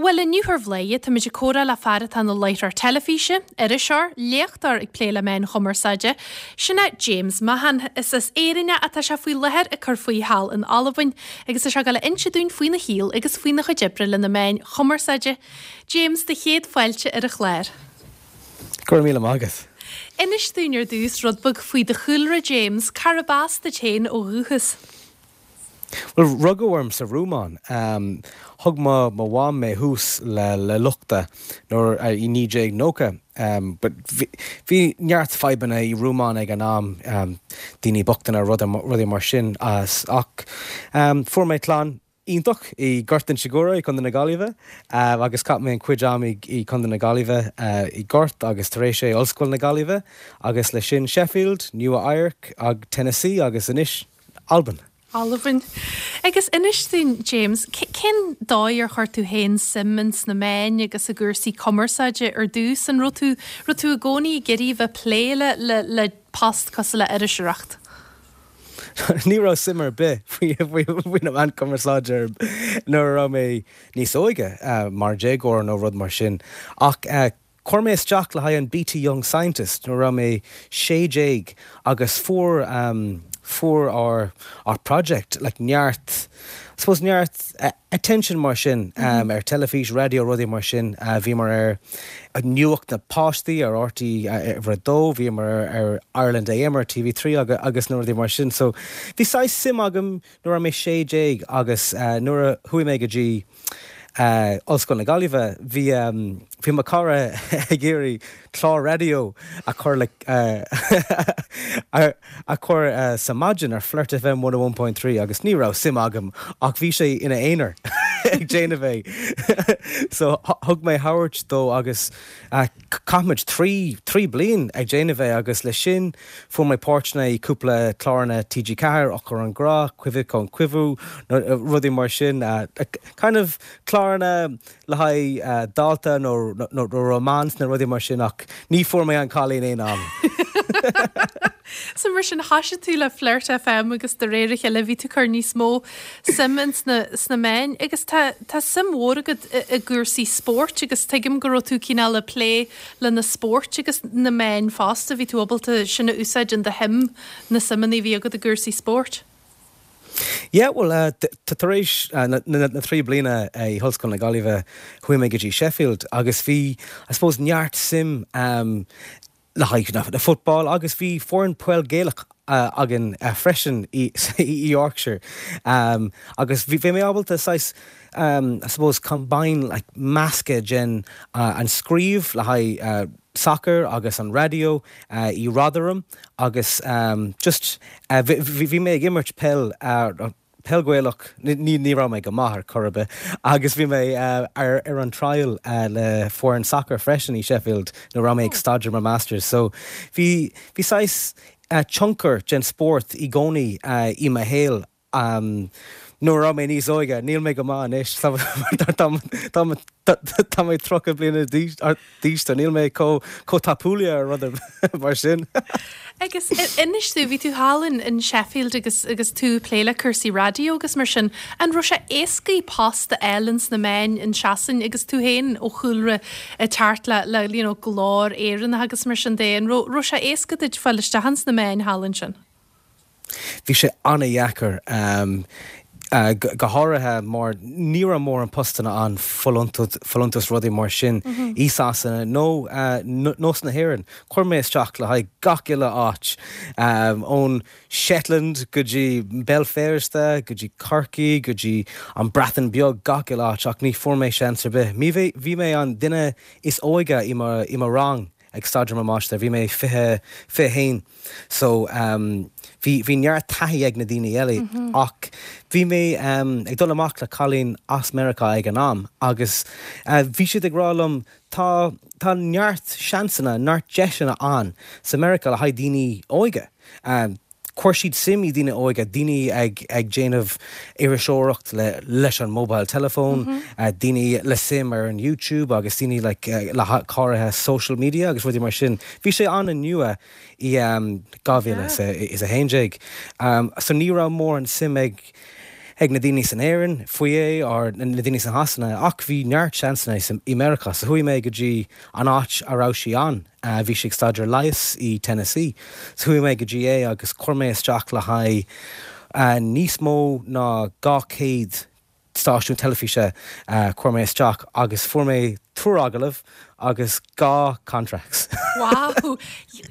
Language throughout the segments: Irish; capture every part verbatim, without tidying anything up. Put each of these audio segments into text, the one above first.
Bhuel inniu ar Bhladhaire táimid ag comhrá le fear atá ina láithreoir teilifíse, iriseoir, léachtóir ag plé le meáin chumarsáide, sin é James Mahan. Is as Éirinn é ach tá sé faoi láthair ag cur faoi thall in Albain agus tá sé ag dul a inse dúinn faoina shaol agus faoina chuid oibre le na meáin chumarsáide. James do chéad fáilte ar an chlár. Go raibh míle maith agat. Inis dúinn ar dtús rud beag faoi do chúlra James, cárb as duit féin ó dhúchas. Well rugadh orm sa Rómáin. Um, thug mo mo mham mé thuas le le luchta nuair uh, i naoi déag nócha. Um, but bhí neart fadhbanna i Rómáin ag an am um, daoine bochtana rudaí mar sin as ach um, fuair mé clann iontach i Gort Inse Guaire i Contae na Gaillimhe uh, agus chaith mé an cuid am i i Contae na Gaillimhe uh, i Gort agus tar éis é Ollscoil na Gaillimhe agus le sin Sheffield, Nua Eabhrac ag Tennessee agus anois Albain. Albain. Agus inis dúinn James, cén dóigh ar chuir tú féin suim ins na meáin agus i gcúrsaí cumarsáide ar dtús an raibh tú raibh tú i gcónaí ag iarraidh bheith plé le le le post cosúil le iriseoireacht. Ní raibh suim ar bith faoi faoi na meáin cumarsáide nuair a raibh mé níos óige uh, mar déagóir nó rud mar sin ach uh, Chuir mé isteach le haghaidh an BT Young Scientist nuair raibh mé sé déag agus fuair um, fuair ár ár project like neart suppose neart uh, attention mar sin um, mm -hmm. ar teilifís raidió rudaí mar sin uh, bhí mar ar nuacht na páistí ar RTÉ uh, dó bhí mar ar Ireland AM ar TV trí agus, agus na rudaí mar sin so bhí saghas suim agam nuair mé sé déag agus uh, nuair a chuaigh mé go dtí uh, Ollscoil na Gaillimhe bhí um, bhí mo chara ag iarraidh clár raidió a chur le uh, a, a chur uh, sa maidin ar Flirt FM one one point three agus ní raibh suim agam ach bhí sé ina aonar ag déanamh é. so thug mé thabhairt dó agus uh, chaith muid trí trí bliain ag déanamh é agus le sin fuair mé páirteanna i cúpla cláranna TG Ceathair Eochair an Grá, Cuimhidh chun Cuimhiú rudaí mar sin uh, kind of cláranna le haghaidh uh, dalta nó nó romance na rudaí mar sin ach ní fuair mé an cailín aon am. So mar sin thosaigh tú le Flirt FM agus de réir a chéile bhí tú ag cur níos mó suim sna sna meáin agus tá tá suim mhór agat i gcúrsaí spóirt agus tuigim go raibh tú cineál ag plé le na spóirt agus na meáin fosta bhí tú ábalta sin a úsáid in do shuim na suimeanna bhí agat i gcúrsaí spóirt. Yeah, well uh, tar éis uh, na, na, na trí bliana i uh, Ollscoil na Gaillimhe chuaigh mé go dtí Sheffield agus bhí I suppose neart suim um, le haghaidh na, na football agus bhí foireann peil Gaelach uh, againn uh, freisin i, i Yorkshire um, agus bhí bhí mé ábalta saghas um, I suppose combine like meascadh den uh, an scríobh le haghaidh uh, soccer agus an raidió uh, i Rotherham agus um, just uh, bhí mé ag imirt peil uh, peil Gaelach ní ní raibh mé go maith ar chor ar bith agus bhí mé uh, ar ar an trial uh, le foireann soccer freisin i Sheffield nuair raibh mé ag staidéar mo masters so bhí bhí saghas uh, tionchar den spórt i gcónaí uh, i mo shaol um, nuair raibh mé níos óige níl mé go maith anois tá mé tríocha bliana d'aois níl mé chomh chomh tapúil ar rud mar sin. Agus inis tú bhí tú thall in in Sheffield agus agus tú plé le cúrsaí raidió agus mar sin an raibh sé éasca post a fháil ins na meáin in Sasain agus tú féin ó chúlra teacht le le you know, glór Éireannach agus mar sin de an raibh sé éasca duit fáil isteach ins na meáin thall ansin. Bhí sé an-deacair um, Uh, go háirithe mar ní raibh mórán postanna ann folúntas rudaí mar sin mm -hmm. i Sasana nó uh, nó sna hÉireann. Chuir mé isteach le haghaidh gach uile áit um, ón Shetland go dtí Béal Feirste, go dtí Corcaigh, go dtí an Bhreatain Bheag gach uile áit ach ní fuair mé seans ar bith. Mi bhí mé an duine is óige i i mo rang ag staidéar mo máistir, bhí mé fiche fiche haon. So um, bhí bhí neart taithí ag na daoine eile mm -hmm. ach bhí mé um, ag dul amach le cailín as Meiriceá ag an am agus uh, bhí siad ag rá liom tá tá neart seansanna neart deiseanna ann sa Meiriceá le haghaidh daoine óige. Um, Chuir siad suim i daoine óige daoine ag ag déanamh iriseoireacht le leis an mobile telephone, mm -hmm. uh, daoine le suim ar an YouTube agus daoine like, uh, le háirithe social media agus rudaí mar sin. Bhí sé an-nua i um, dhá mhíle is a haon déag. Um, so ní raibh mórán suim ag ag na daoine san Éirinn faoi é or na daoine san Shasana ach bhí neart seansanna i Meiriceá so chuaigh mé go dtí an áit a raibh sí ann. Uh, bhí sé ag staidéar leighis i Tennessee. So chuaigh mé go dtí é agus chuir mé isteach le haghaidh uh, níos mó ná dhá chéad stáisiún teilifíse uh, chuir mé isteach agus fuair mé triúr agallamh agus dhá contracts. Wow,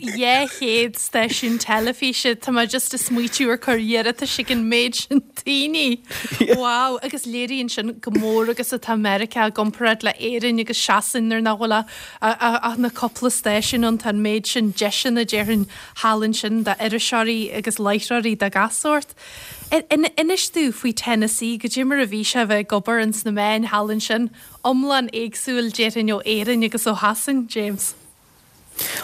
dhá chéad stáisiún teilifíse Tá mé just ag smaoitiú ar cur iarratas ag an méid sin daoine. Wow, agus léiríonn sin go mór agus atá Meiriceá i gcomparáid le Éirinn agus Sasain nuair nach bhfuil ach na cúpla stáisiún ann tá an méid sin deiseanna déarfainn thall ansin d'iriseoirí agus láithreoirí de gach sórt. Inis domh faoi Tennessee goidé mar a bhí sé bheith ag obair ins na meáin thall ansin, iomlán éagsúil déarfainn ó Éirinn agus ó Shasain, James.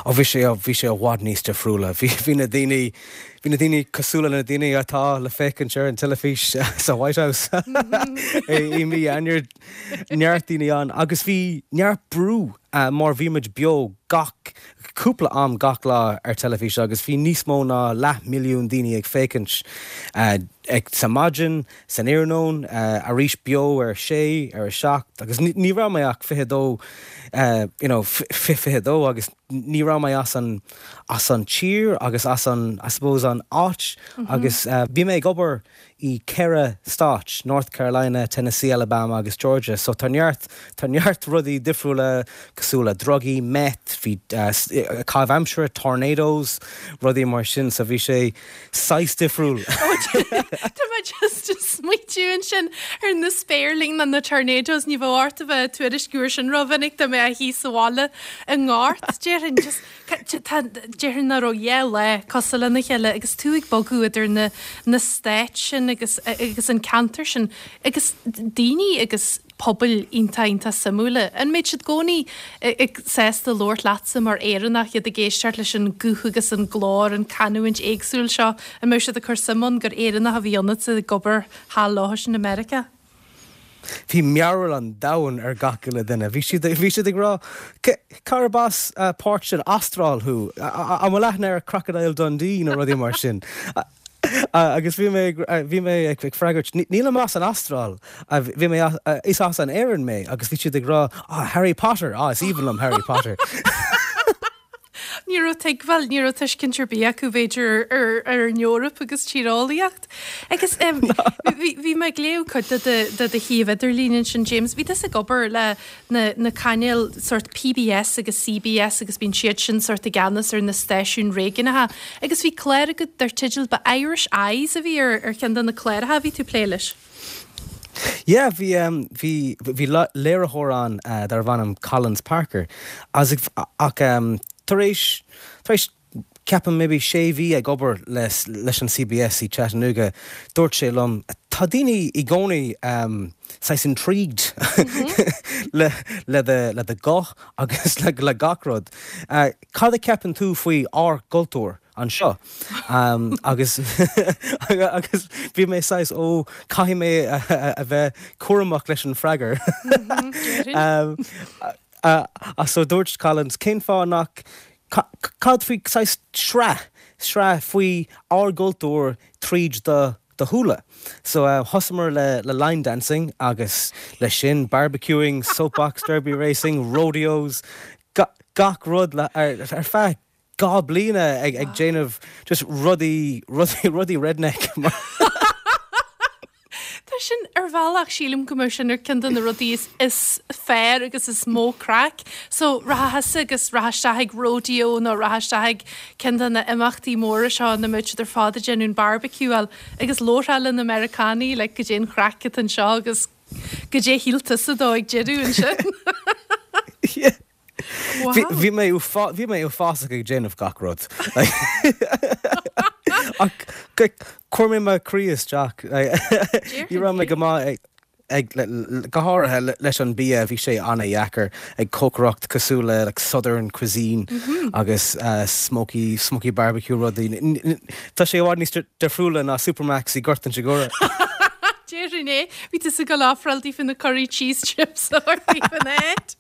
Ó bhí sé bhí sé i bhfad níos difriúla. Bhí bhí na daoine bhí na daoine cosúil na daoine atá le féachaint ar an teilifís sa White House i mí Eanáir neart daoine ann agus bhí neart brú uh, mar bhí muid beo gach cúpla am gach lá ar teilifís agus bhí níos mó ná leath milliún daoine ag féachaint uh, ag sa maidin san iarnóin uh, arís beo ar sé ar a seacht agus ní raibh mé ach fiche dó uh, you know, fiche dó agus ní raibh mé as an as an tír agus as an I suppose an áit mm -hmm. agus uh, bhí mé ag obair i ceithre stát, North Carolina, Tennessee, Alabama agus Georgia, so tá neart tá neart rudaí difriúla cosúil le drugaí, meth, bhí uh, caitheamh aimsire, tornadoes, rudaí mar sin so bhí sé saghas difriúil. Tá mé just smaoitiú ansin ar na spéirling na na tornadoes ní bheadh ort a bheith tuairisciú sin rómhinic dá mbeifeá thíos sa bhaile i ngort déarfainn just déarfainn nach raibh dhá lá cosúil lena chéile agus tú ag bogadh idir na na stáit sin agus agus an ceantar sin agus daoine agus pobail iontach iontach suimiúla. An mbeadh siad i gcónaí ag sásta labhairt leatsa mar Éireannach iad ag éisteacht leis an guth agus an glór an canúint éagsúil seo an mbeadh siad ag cur suim ann gur Éireannach a bhí ionat ag obair thall leo sin i Meiriceá. Bhí mearbhall an domhain ar gach uile duine. Bhí siad bhí siad ag rá cárb as páirt den Astráil thú an bhfuil aithne ar Crocodile Dundee nó rudaí mar sin. agus bhí mé bhí mé ag freagairt nílim as an Astráil bhí mé is as an Éirinn mé agus bhí siad ag rá ah, Harry Potter ah, is aoibhinn liom Harry Potter. Ní raibh tuigbheáil ní raibh tuiscint ar bith acu b'fhéidir ar ar an Eoraip agus tíreolaíocht. Agus bhí mé ag léamh cuid de do shuíomh idirlín ansin James, bhí tusa ag obair le na, na cainéil sort PBS agus CBS agus bíonn siad sin sort i gceannas ar na stáisiúin réigiúnacha. Agus bhí clár agat dar teideal ba Irish Eyes a bhí ar ar cheann de na cláracha bhí tú plé leis. Yeah, bhí um, bhí bhí léiritheoir ann uh, darbh ainm Collins Parker as ach um, tar éis tar éis ceapaim maybe sé mhí ag obair leis, leis an CBS i Chattanooga dúirt sé liom tá daoine i gcónaí um, saghas intrigued mm -hmm. le le de, le do ghuth agus le le gach rud. Uh, cad a ceapann tú faoi ár gcultúr anseo um, agus agus bhí mé saghas ó caithfidh mé a, a, a bheith cúramach leis an freagra. Mm -hmm, um, uh, uh, so dúirt Collins cén fáth nach cad faoi saghas sraith sraith faoi ár gcultúr tríd do do shúile. So uh, thosaíomar le, le line dancing agus le sin barbecuing, soapbox derby racing, rodeos, ga, gach rud le, ar, ar feadh dhá bliana ag, ag déanamh just rudaí rudaí rudaí redneck. Tá sin ar bhealach sílim go sin ar ceann de na rudaí is, is fearr agus is mó craic. So rachfá agus rachfá ag rodeo nó rachfá ag ceann de na imeachtaí móra seo na muid ar fad ag déanamh barbecue agus labhrófá le na Meiriceánaigh le goidé an chraic anseo agus goidé shíl tusa dó ag deireadh ansin. yeah. Bhí mé bhí mé uafásach ag déanamh gach rud. Ach chuir mé mo chroí isteach. Ní raibh mé go maith ag go háirithe leis an bia bhí sé an-deacair ag cócaireacht cosúil le like, southern cuisine mm -hmm. agus uh, smoky smoky barbecue rudaí. Tá sé i bhfad níos difriúla ná Supermacs i Gort an Choire. Déarfainn é bhí tú ag ofráil daofa na curry cheese chips fan éid.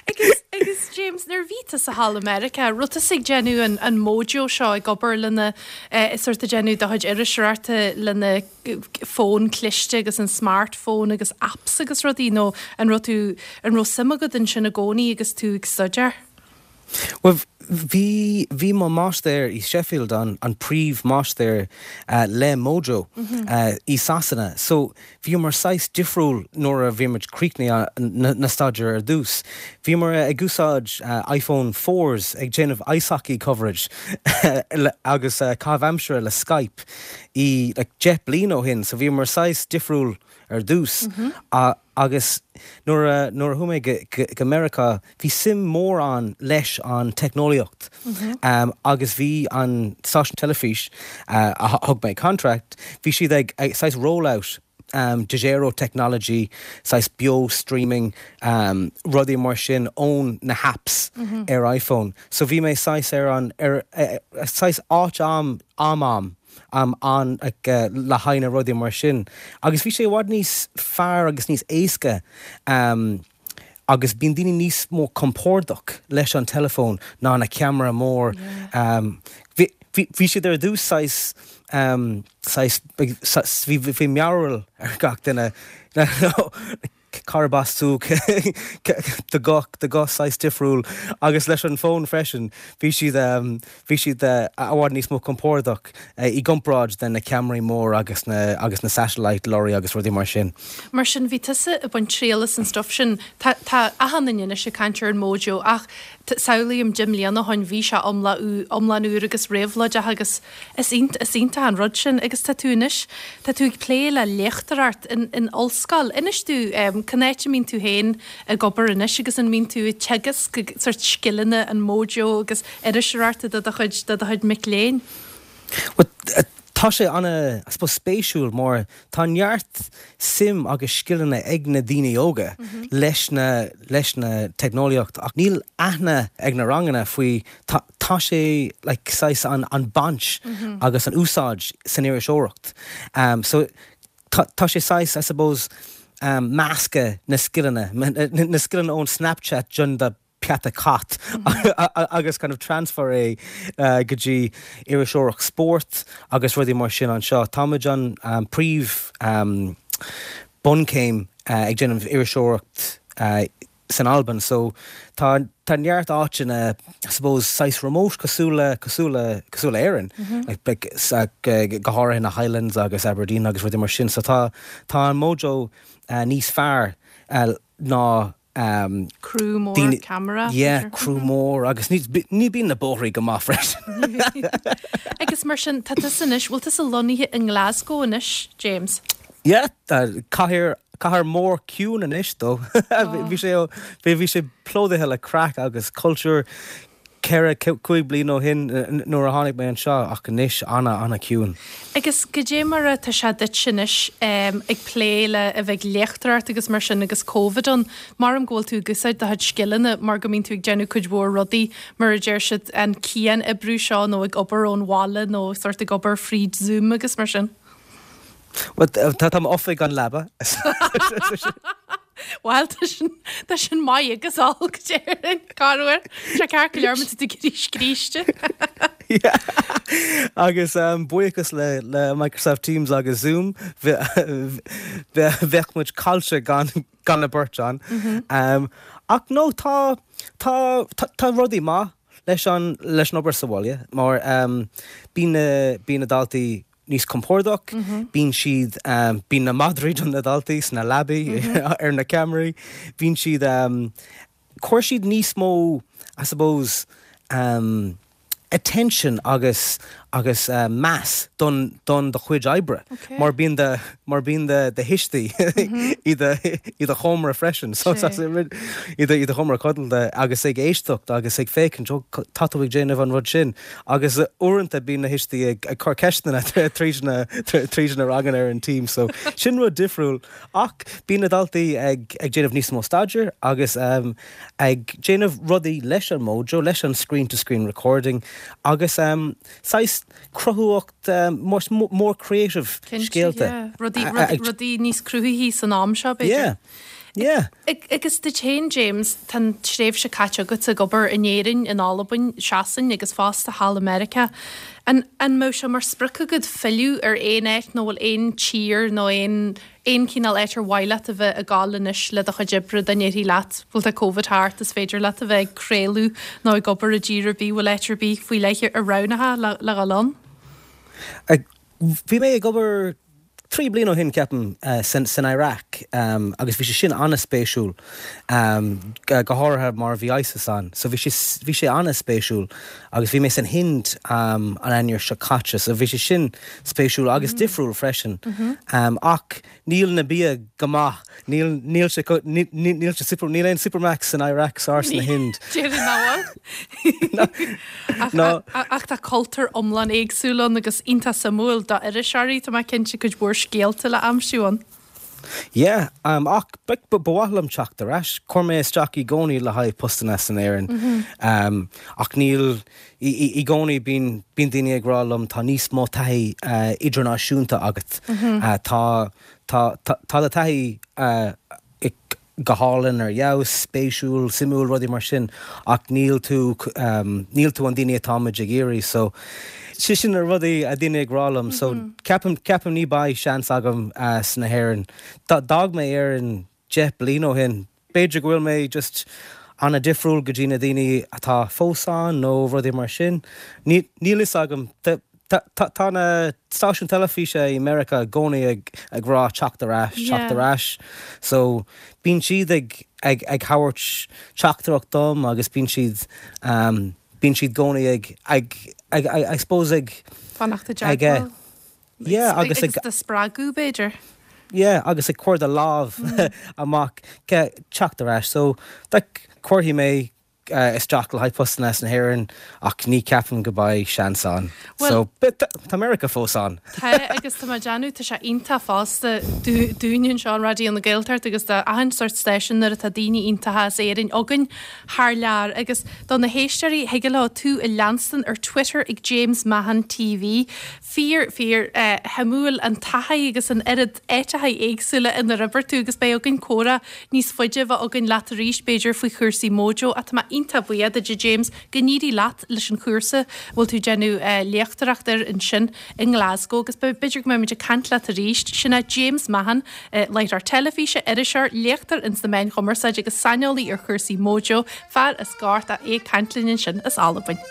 Agus agus James, nuair bhí tusa thall i Meiriceá, raibh tusa ag déanamh an, an Mojo seo ag obair lena eh, sort ag déanamh do chuid iriseoireachta lena fón cliste agus an smartphone agus apps agus rudaí nó an raibh tú an raibh suim agat ansin i gcónaí agus tú ag staidéar? Well, bhí bhí mo máistir i Sheffield an an príomh máistir uh, le Mojo mm -hmm. uh, i Sasana. So bhíomar saghas difriúil nuair a bhí muid críochnaithe na, na staidéar ar dtús. Bhíomar ag úsáid uh, iPhone fours ag déanamh ice hockey coverage agus uh, caitheamh aimsire le Skype i like, deich bliain ó shin, so bhíomar saghas difriúil ar dtús. Mm -hmm. uh, agus nuair a nuair a chuaigh mé go, go, go Meiriceá bhí suim mór ann leis an teicneolaíocht mm -hmm. um, agus bhí an stáisiún teilifís uh, a thug mé contract, bhí siad ag, ag saghas rollout um, Dejero technology, saghas beo streaming um, rudaí mar sin ón na apps mm -hmm. ar iPhone. So bhí mé saghas ar an ar, uh, saghas áit am am am um, an ag, uh, le haghaidh na rudaí mar sin. Agus bhí sé bhfad níos fearr agus níos éasca um, agus bíonn daoine níos mó compordach leis an telefón ná na ceamara mór. Yeah. Um, bhí siad ar dtús saghas um, bhí bhí mearbhall ar gach duine cárb as tú do guth do guth saghas difriúil agus leis an fón freisin bhí siad um, bhí siad uh, i bhfad níos mó compordach uh, i gcomparáid den na ceamaraí mór agus na agus na satellite lorry agus rudaí mar sin. Mar sin bhí tusa ag baint triail as an stuff sin tá achan duine ag caint ar an Mojo ach samhlaím deich mbliana ó shin bhí sé iomlán úr agus réabhlóideach agus is is iontach an rud sin agus tá tú anois tá tú ag plé le léachtóireacht in, in ollscoil. Inis tú um, cén áit a mbíonn tú féin ag obair anois agus an mbíonn tú ag teagasc sort scileanna an Mojo agus iriseoireachta do do chuid do do chuid mic léinn. Well, tá sé ana spéisiúil mar tá neart suim agus scileanna ag na daoine óga mm -hmm. leis na leis na teicneolaíocht ach níl aithne ag na ranganna faoi tá, tá sé like, saghas an, an baint mm -hmm. agus an úsáid san iriseoireacht. Um, so tá, tá sé saghas I suppose um, meascadh na scileanna na, na scileanna ón Snapchat don do peata cat mm -hmm. agus kind of transfer é uh, go dtí iriseoireacht sport agus rudaí mar sin anseo. Táimid an um, príomh um, buncéim uh, ag déanamh iriseoireacht uh, san Albain, so tá tá neart áiteanna I suppose saghas remote cosúil le cosúil le cosúil le Éirinn mm -hmm. like, like, go háirithe na Highlands agus Aberdeen agus rudaí mar sin, so tá tá an Mojo uh, níos fearr uh, ná um, Crew mór camera. Yeah, crew mór agus ní ní bíonn na bóithre go maith freisin. Agus mar sin tá tusa anois, bhfuil tusa lonnaithe in Glasgow anois, James? Yeah, cathair cathair mór ciúin anois dó. Bhí sé bhí sé plódaithe le craic agus cultúr ceithre cúig bliain ó shin nuair a tháinig mé anseo ach anois ana ana ciúin. Agus goidé mar atá sé duit anois um, ag plé le a bheith léachtóireacht agus mar sin agus COVID ann mar go bhfuil tú ag úsáid do chuid scileanna mar go mbíonn tú ag déanamh cuid mhór rudaí mar a deir siad an cian-oibriú seo nó ag obair ón bhaile nó sort ag obair fríd Zoom agus mar sin. Well, tá tá oifig an leaba. Well tá sin tá sin maith agus olc corruair sé ceart go leor tú scríste. Agus um, buíochas le le Microsoft Teams agus Zoom bheadh muid caillte gan gan na beirt an. Mm -hmm. um, ach no tá tá tá, tá rudaí maith leis an leis an obair sa bhaile mar um, bíonn bíonn na daltaí níos compordach, mm -hmm. bíonn siad um, bíonn na madraí don na daltaí sna leabaí mm -hmm. ar na ceamaraí, bíonn siad um, cuir siad níos mó I suppose um, attention agus agus uh, meas don don do chuid oibre Okay. mar bíonn de mar bíonn de de thuistí i do i do sheomra freisin so i do i do sheomra codlata agus ag éisteacht agus ag féachaint tá tú ag déanamh an rud sin agus uaireanta bíonn na tuistí ag ag cur ceisteanna tríd na tríd na ranganna ar an team so sin rud difriúil ach bíonn na daltaí ag ag déanamh níos mó staidéir agus um, ag déanamh rudaí leis an Mojo leis an screen to screen recording agus um, saghas cruthaitheacht um, more, more creative Cinnte, scéalta. yeah. Rudaí A- a- rudaí- rudaí níos cruthaithí san am seo b'fhéidir. Yeah. Yeah. Agus duit féin James tá tréimhse caite agat ag obair in Éirinn in Albain, Sasain agus fosta thall i Meiriceá. An an mbeadh sé mar sprioc agat filleadh ar aon áit nó bhfuil aon tír nó aon aon chineál áit ar mhaith leat a bheith ag gabháil anois le do chuid oibre dá ndéarfaí leat bhfuil tá Covid thart is féidir leat a bheith ag craoladh nó ag obair i dtír ar bith bhfuil áit ar bith faoi leith a roghnófá le le dhul ann? Bhí mé ag obair trí bliana ó shin ceapaim uh, san, san Iraq um, agus bhí sé sin an-spéisiúil um, go háirithe mar bhí ISIS ann, so bhí sé bhí sé an-spéisiúil agus bhí mé san Hind um, an Eanáir seo caite, so bhí sé sin spéisiúil agus mm. difriúil freisin. Mm -hmm. um, ach níl na bia go maith níl níl sé níl sé super níl aon Supermacs san Iraq sár na Hind. No. Ach tá cultúr iomlán éagsúil ann agus iontach suimiúil do iriseoirí tá mé cinnte cuid mhór scéalta le aimsiú ann. Yeah, um, ach ba mhaith liom teacht ar ais, chuir mé isteach i gcónaí le haghaidh postanna san Éirinn. Mm -hmm. um, ach níl i gcónaí bíonn bíonn daoine ag rá liom tá níos mó taithí uh, idirnáisiúnta agat. Mm -hmm. uh, tá tá tá taithí uh, go hálainn ar fheabhas spéisiúil suimiúil rudaí mar sin ach níl tú um, níl tú an duine atáimid ag iarraidh so si sin na rudaí a daoine ag rá liom so mm -hmm. ceapaim ceapaim ní bheidh seans agam uh, sna hÉireann. D'fhág mé Éirinn deich bliain ó shin. B'fhéidir go bhfuil mé just an-difriúil go dtí na daoine atá fós ann nó rudaí mar sin. Níl fhios agam Tá na stáisiún teilifíse i Meiriceá i gcónaí ag ag rá teacht ar ais teacht ar ais. So bíonn siad ag ag ag thabhairt teachtaireacht dom agus bíonn siad um, bíonn siad i gcónaí ag ag ag I suppose ag fanacht ag Yeah agus ag spreagadh b'fhéidir. Yeah, agus ag cur do lámh mm. amach teacht ar ais, so cuirfidh mé uh, isteach le haghaidh postanna sna hÉireann ach ní ceapaim go mbeidh seans ann. So tá America fós ann. Tá agus tá déanú tá sé iontach fosta dúinn anseo Raidió na Gaeltachta agus do achan sórt stáisiún nuair atá daoine iontacha as Éirinn againn thar lear agus do na héisteoirí thig leo tú a leanstan ar Twitter ag James Mahon TV. Fíor fíor uh, shuimiúil an taithí agus an oiread áiteacha éagsúla inar oibir tú agus beidh againn comhrá níos faide bheith againn leat arís b'fhéidir faoi chúrsaí Mojo a tá iontach buíoch duit James go n-éirí leat leis an chúrsa bhfuil tú déanamh uh, léachtóireacht air ansin i nGlasgow agus b'fhéidir go mbeimid ag caint leat arís sin é James Mahon uh, láithreoir teilifíse iriseoir léachtóir ins na meáin chumarsáide agus saineolaí ar chúrsaí Mojo fear as Gort é ag caint linn ansin as Albain.